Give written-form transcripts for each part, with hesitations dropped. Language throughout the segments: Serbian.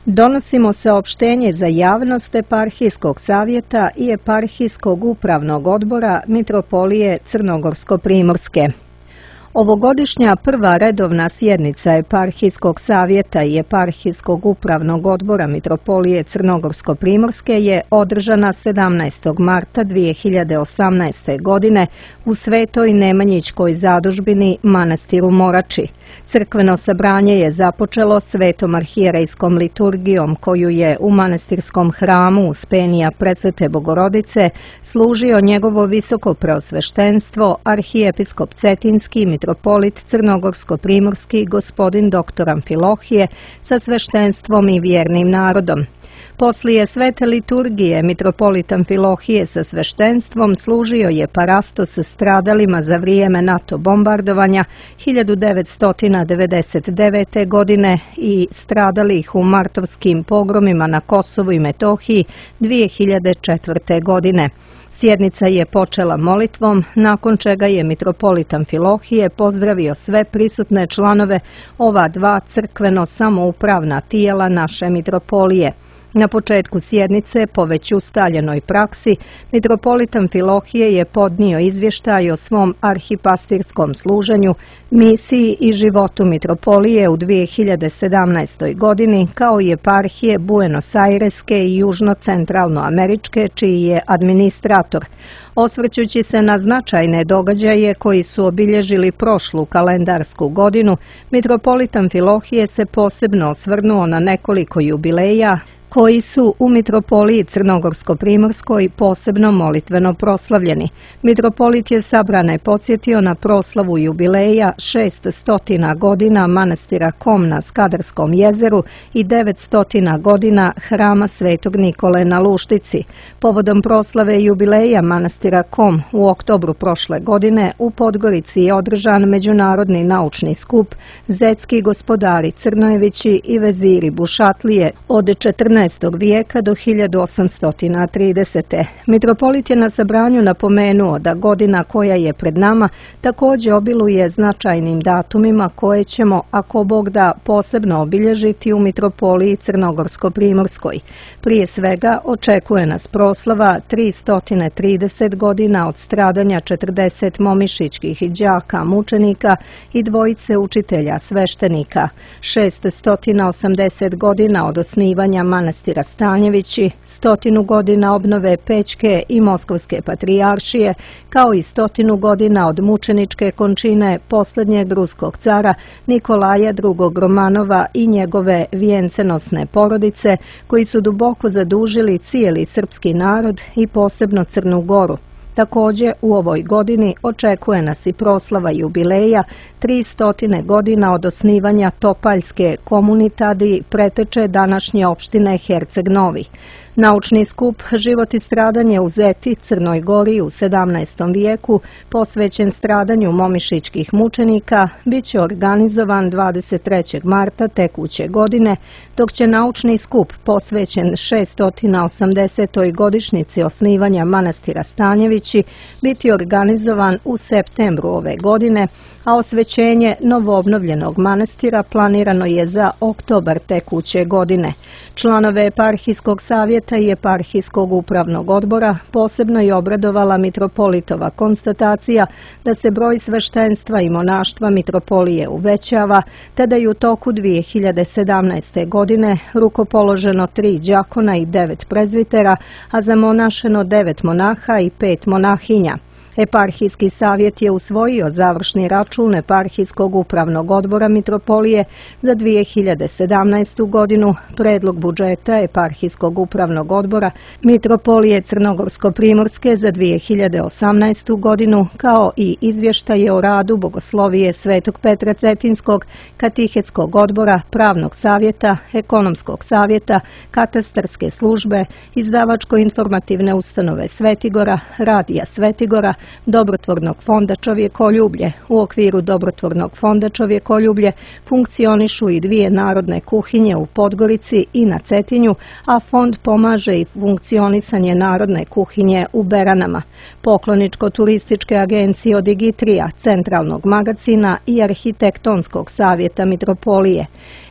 Donosimo saopštenje za javnost Eparhijskog savjeta i Eparhijskog upravnog odbora Mitropolije Crnogorsko-primorske. Ovogodišnja prva redovna sjednica Eparhijskog savjeta i Eparhijskog upravnog odbora Mitropolije Crnogorsko-primorske je održana 17. marta 2018. godine u Svetoj Nemanjićkoj zadužbini Manastiru Morači. Crkveno sabranje je započelo svetom arhijerejskom liturgijom koju je u manastirskom hramu Uspenija Presvete Bogorodice služio njegovo visoko preosveštenstvo arhijepiskop Cetinski mitropolit Crnogorsko-primorski gospodin dr. Amfilohije sa sveštenstvom i vjernim narodom. Poslije svete liturgije mitropolit Amfilohije sa sveštenstvom služio je parastos stradalima za vrijeme NATO bombardovanja 1999. godine i stradalih u martovskim pogromima na Kosovu i Metohiji 2004. godine. Sjednica je počela molitvom, nakon čega je mitropolit Amfilohije pozdravio sve prisutne članove ova dva crkveno samoupravna tijela naše mitropolije. Na početku sjednice, po već ustaljenoj praksi, mitropolit Amfilohije je podnio izvještaj o svom arhipastirskom služenju, misiji i životu mitropolije u 2017. godini, kao i eparhije Buenos Aireske i Južno-centralnoameričke, čiji je administrator. Osvrćući se na značajne događaje koji su obilježili prošlu kalendarsku godinu, mitropolit Amfilohije se posebno osvrnuo na nekoliko jubileja koji su u Mitropoliji Crnogorsko-primorskoj posebno molitveno proslavljeni. Mitropolit je sabrane podsjetio na proslavu jubileja 600 godina manastira Kom na Skadarskom jezeru i 900 godina hrama Svetog Nikole na Luštici. Povodom proslave jubileja manastira Kom u oktobru prošle godine u Podgorici je održan međunarodni naučni skup Zetski gospodari Crnojevići i veziri Bušatlije od 14. vijeka do 1830. Mitropolit je na sabranju napomenuo da godina koja je pred nama također obiluje značajnim datumima koje ćemo, ako Bog da, posebno obilježiti u Mitropoliji Crnogorsko-primorskoj. Prije svega očekuje nas proslava 330 godina od stradanja 40 momišićkih đaka mučenika i dvojice učitelja sveštenika, 680 godina od osnivanja manastira Stanjevići, 100 godina obnove Pećke i Moskovske patrijaršije, kao i 100 godina od mučeničke končine posljednjeg ruskog cara Nikolaja II. Romanova i njegove vijencenosne porodice, koji su duboko zadužili cijeli srpski narod i posebno Crnu Goru. Također u ovoj godini očekuje nas i proslava jubileja 300 godina od osnivanja Topaljske komunitadi preteče današnje opštine Herceg Novi. Naučni skup Život i stradanje u Zeti, Crnoj Gori u 17. vijeku, posvećen stradanju momišićkih mučenika, bit će organizovan 23. marta tekuće godine, dok će naučni skup posvećen 680. godišnjici osnivanja manastira Stanjevići biti organizovan u septembru ove godine, a osvećenje novoobnovljenog manastira planirano je za oktobar tekuće godine. Članove Eparhijskog savjeta i Eparhijskog upravnog odbora posebno je obradovala mitropolitova konstatacija da se broj sveštenstva i monaštva mitropolije uvećava, te da je u toku 2017. godine rukopoloženo 3 đakona i 9 prezvitera, a zamonašeno 9 monaha i 5 monahinja. Eparhijski savjet je usvojio završni račun Eparhijskog upravnog odbora Mitropolije za 2017. godinu, predlog budžeta Eparhijskog upravnog odbora Mitropolije Crnogorsko-primorske za 2018. godinu, kao i izvještaje o radu Bogoslovije Svetog Petra Cetinskog, Katehetskog odbora, Pravnog savjeta, Ekonomskog savjeta, Katastarske službe, Izdavačko-informativne ustanove Svetigora, Radija Svetigora, Dobrotvornog fonda Čovjekoljublje. U okviru Dobrotvornog fonda Čovjekoljublje funkcionišu i 2 narodne kuhinje u Podgorici i na Cetinju, a fond pomaže i funkcionisanje narodne kuhinje u Beranama. Pokloničko-turističke agencije od Digitrija, Centralnog magazina i Arhitektonskog savjeta Mitropolije.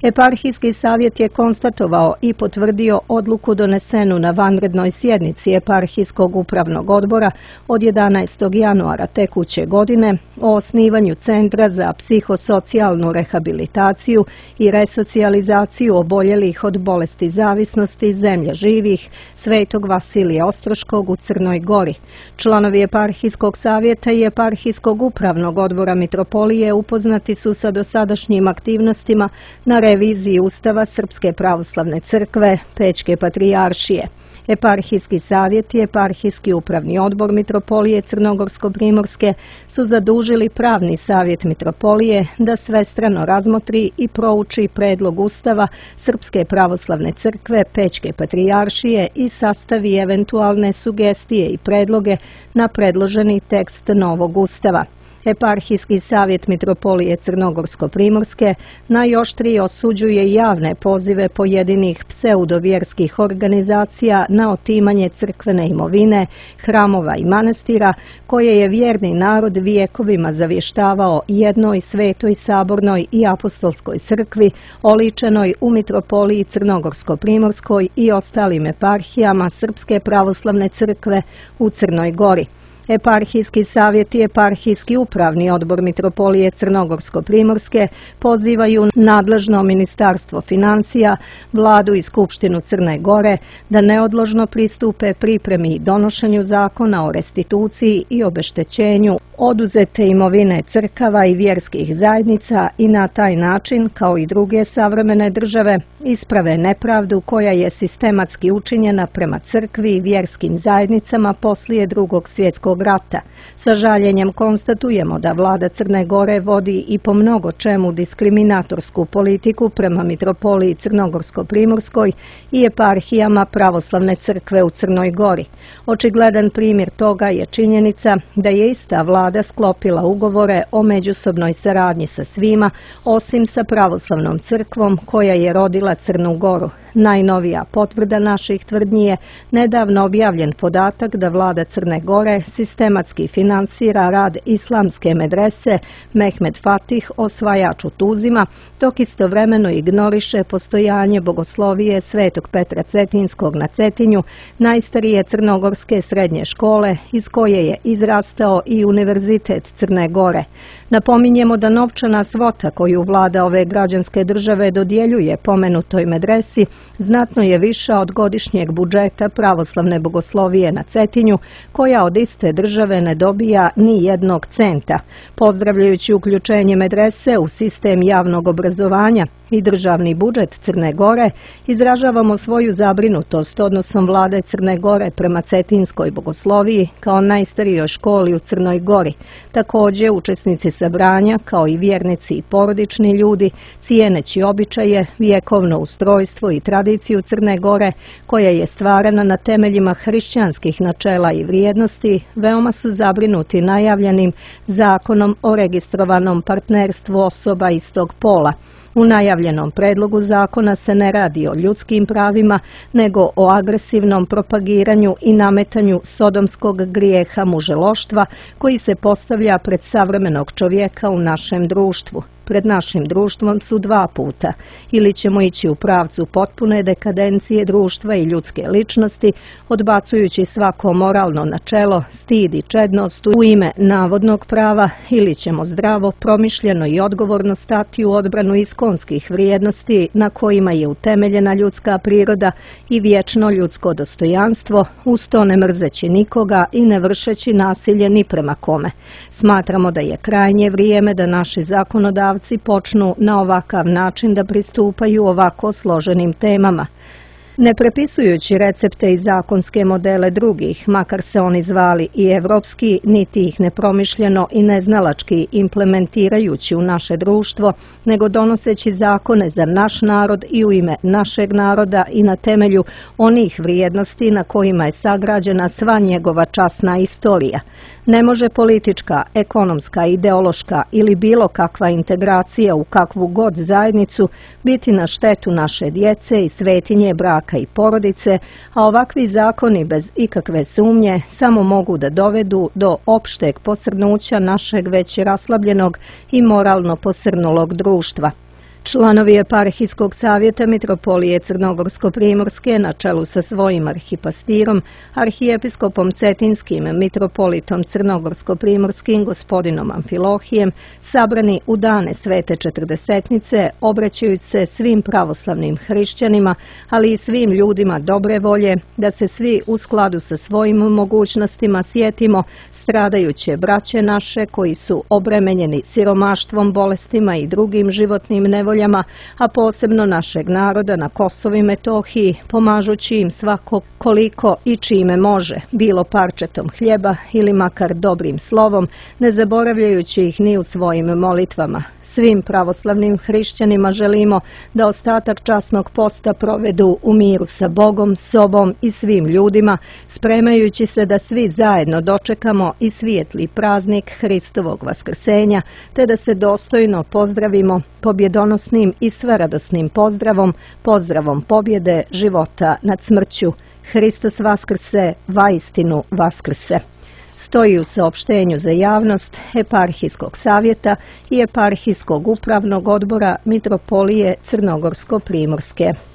Eparhijski savjet je konstatovao i potvrdio odluku donesenu na vanrednoj sjednici Eparhijskog upravnog odbora od 11. januara tekuće godine o osnivanju Centra za psihosocijalnu rehabilitaciju i resocijalizaciju oboljelih od bolesti zavisnosti zemlje živih Svetog Vasilija Ostroškog u Crnoj Gori. Članovi Eparhijskog savjeta i Eparhijskog upravnog odbora Mitropolije upoznati su sa dosadašnjim aktivnostima na reviziji Ustava Srpske pravoslavne crkve Pećke patrijaršije. Eparhijski savjet i Eparhijski upravni odbor Mitropolije Crnogorsko-Primorske su zadužili pravni savjet Mitropolije da svestrano razmotri i prouči predlog Ustava Srpske pravoslavne crkve Pećke patrijaršije i sastavi eventualne sugestije i predloge na predloženi tekst novog Ustava. Eparhijski savjet Mitropolije Crnogorsko-Primorske najoštrije osuđuje javne pozive pojedinih pseudovjerskih organizacija na otimanje crkvene imovine, hramova i manastira, koje je vjerni narod vijekovima zavještavao jednoj svetoj sabornoj i apostolskoj crkvi, oličenoj u Mitropoliji Crnogorsko-Primorskoj i ostalim eparhijama Srpske pravoslavne crkve u Crnoj Gori. Eparhijski savjet i Eparhijski upravni odbor Mitropolije Crnogorsko-Primorske pozivaju nadležno Ministarstvo financija, Vladu i Skupštinu Crne Gore da neodložno pristupe pripremi i donošenju zakona o restituciji i obeštećenju oduzete imovine crkava i vjerskih zajednica i na taj način, kao i druge savremene države, isprave nepravdu koja je sistematski učinjena prema crkvi i vjerskim zajednicama poslije Drugog svjetskog rata. Sa žaljenjem konstatujemo da vlada Crne Gore vodi i po mnogo čemu diskriminatorsku politiku prema Mitropoliji Crnogorsko-Primorskoj i eparhijama pravoslavne crkve u Crnoj Gori. Očigledan primjer toga je činjenica da je ista vlada sklopila ugovore o međusobnoj saradnji sa svima, osim sa pravoslavnom crkvom koja je rodila Crnu Goru. Najnovija potvrda naših tvrdnji je nedavno objavljen podatak da vlada Crne Gore sistematski finansira rad islamske medrese Mehmed Fatih, osvajač u Tuzima, dok istovremeno ignoriše postojanje bogoslovije Svetog Petra Cetinskog na Cetinju, najstarije crnogorske srednje škole iz koje je izrastao i Univerzitet Crne Gore. Napominjemo da novčana svota koju vlada ove građanske države dodjeljuje pomenutoj medresi znatno je viša od godišnjeg budžeta pravoslavne bogoslovije na Cetinju, koja od iste države ne dobija ni jednog centa. Pozdravljajući uključenje medrese u sistem javnog obrazovanja i državni budžet Crne Gore, izražavamo svoju zabrinutost odnosom vlade Crne Gore prema cetinskoj bogosloviji kao najstarijoj školi u Crnoj Gori. Također, učesnici sabranja, kao i vjernici i porodični ljudi, cijeneći običaje, vjekovno ustrojstvo i tradiciju Crne Gore, koja je stvarana na temeljima hrišćanskih načela i vrijednosti, veoma su zabrinuti najavljenim zakonom o registrovanom partnerstvu osoba istog pola. U najavljenom predlogu zakona se ne radi o ljudskim pravima, nego o agresivnom propagiranju i nametanju sodomskog grijeha muželoštva koji se postavlja pred savremenog čovjeka u našem društvu. Pred našim društvom su dva puta. Ili ćemo ići u pravcu potpune dekadencije društva i ljudske ličnosti, odbacujući svako moralno načelo, stid i čednost u ime navodnog prava, ili ćemo zdravo, promišljeno i odgovorno stati u odbranu iskonskih vrijednosti na kojima je utemeljena ljudska priroda i vječno ljudsko dostojanstvo, uz to ne mrzeći nikoga i ne vršeći nasilje ni prema kome. Smatramo da je krajnje vrijeme da naši zakonodavci počnu na ovakav način da pristupaju ovako složenim temama. Ne prepisujući recepte i zakonske modele drugih, makar se oni zvali i evropski, niti ih nepromišljeno i neznalački implementirajući u naše društvo, nego donoseći zakone za naš narod i u ime našeg naroda i na temelju onih vrijednosti na kojima je sagrađena sva njegova časna istorija. Ne može politička, ekonomska, ideološka ili bilo kakva integracija u kakvu god zajednicu biti na štetu naše djece i svetinje braka i porodice, a ovakvi zakoni bez ikakve sumnje samo mogu da dovedu do opšteg posrnuća našeg već raslabljenog i moralno posrnulog društva. Članovi Eparhijskog savjeta Mitropolije Crnogorsko-Primorske na čelu sa svojim arhipastirom, arhijepiskopom Cetinskim, mitropolitom Crnogorsko-Primorskim gospodinom Amfilohijem, sabrani u dane Svete Četrdesetnice, obraćajući se svim pravoslavnim hrišćanima, ali i svim ljudima dobre volje, da se svi u skladu sa svojim mogućnostima sjetimo stradajuće braće naše koji su obremenjeni siromaštvom, bolestima i drugim životnim nevoljama, a posebno našeg naroda na Kosovu i Metohiji, pomažući im svako koliko i čime može, bilo parčetom hljeba ili makar dobrim slovom, ne zaboravljajući ih ni u svojim molitvama. Svim pravoslavnim hrišćanima želimo da ostatak časnog posta provedu u miru sa Bogom, sobom i svim ljudima, spremajući se da svi zajedno dočekamo i svijetli praznik Hristovog vaskrsenja, te da se dostojno pozdravimo pobjedonosnim i sveradosnim pozdravom, pozdravom pobjede života nad smrću. Hristos vaskrse, vaistinu vaskrse. Stoji u saopštenju za javnost Eparhijskog savjeta i Eparhijskog upravnog odbora Mitropolije Crnogorsko-Primorske.